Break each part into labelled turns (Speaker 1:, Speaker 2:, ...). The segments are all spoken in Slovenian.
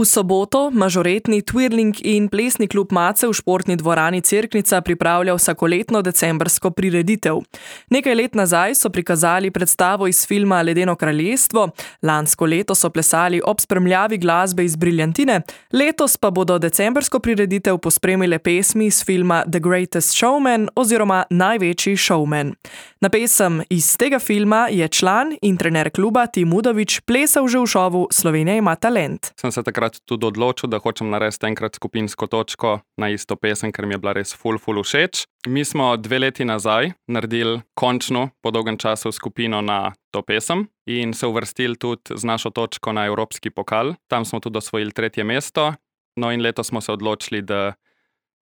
Speaker 1: V soboto mažoretni twirling in plesni klub Mace v športni dvorani Cerknica pripravlja vsakoletno decembrsko prireditev. Nekaj let nazaj so prikazali predstavo iz filma Ledeno kraljestvo, lansko leto so plesali ob spremljavi glasbe iz Briljantine, letos pa bodo decembrsko prireditev pospremile pesmi iz filma The Greatest Showman oziroma Največji showman. Na pesem iz tega filma je član in trener kluba Tim Udovič plesal že v šovu Slovenija ima talent.
Speaker 2: Sem se takrat tudi odločil, da hočem narediti enkrat skupinsko točko na isto pesem, ker mi je bila res ful všeč. Mi smo 2 leti nazaj naredili končno po dolgem času skupino na to pesem in se uvrstili tudi z našo točko na Evropski pokal. Tam smo tudi osvojili 3. mesto. No in letos smo se odločili, da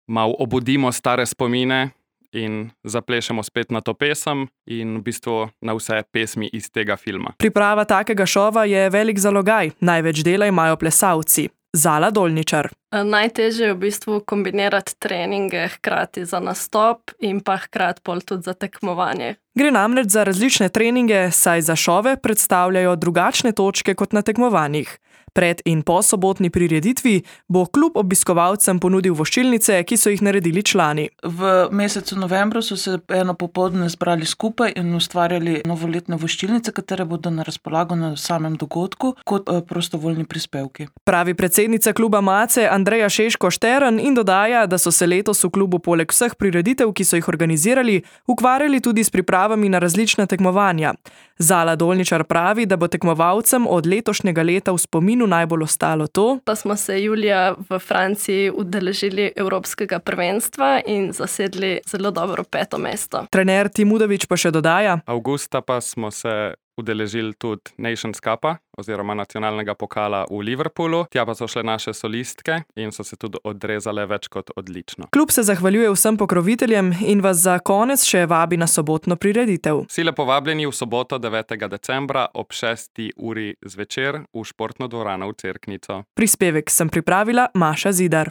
Speaker 2: malo obudimo stare spomine in zaplešemo spet na to pesem in v bistvu na vse pesmi iz tega filma.
Speaker 1: Priprava takega šova je velik zalogaj, največ dela imajo plesalci. Zala Dolničar.
Speaker 3: Najtežje je v bistvu kombinirati treninge hkrati za nastop in pa hkrati pol tudi za tekmovanje.
Speaker 1: Gre namreč za različne treninge, saj za šove predstavljajo drugačne točke kot na tekmovanjih. Pred in po sobotni prireditvi bo klub obiskovalcem ponudil voščilnice, ki so jih naredili člani.
Speaker 4: V mesecu novembru so se eno popoldne zbrali skupaj in ustvarjali novoletne voščilnice, katere bodo na razpolago na samem dogodku kot prostovoljni prispevki.
Speaker 1: Pravi predsednica kluba Mace Andreja Šeško-Štern in dodaja, da so se letos v klubu poleg vseh prireditev, ki so jih organizirali, ukvarjali tudi s pripravami na različna tekmovanja. Zala Dolničar pravi, da bo tekmovalcem od letošnjega leta v spominu najbolj ostalo to,
Speaker 3: da smo se julija v Franciji udeležili Evropskega prvenstva in zasedli zelo dobro 5. mesto.
Speaker 1: Trener Tim Udovič pa še dodaja,
Speaker 2: Avgusta pa smo se udeležili tudi Nations Cupa oziroma nacionalnega pokala v Liverpoolu. Tja pa so šle naše solistke in so se tudi odrezale več kot odlično.
Speaker 1: Klub se zahvaljuje vsem pokroviteljem in vas za konec še vabi na sobotno prireditev.
Speaker 2: Vsi lepo vabljeni v soboto 9. decembra ob 6. uri zvečer v športno dvorano v Cerknico.
Speaker 1: Prispevek sem pripravila Maša Zidar.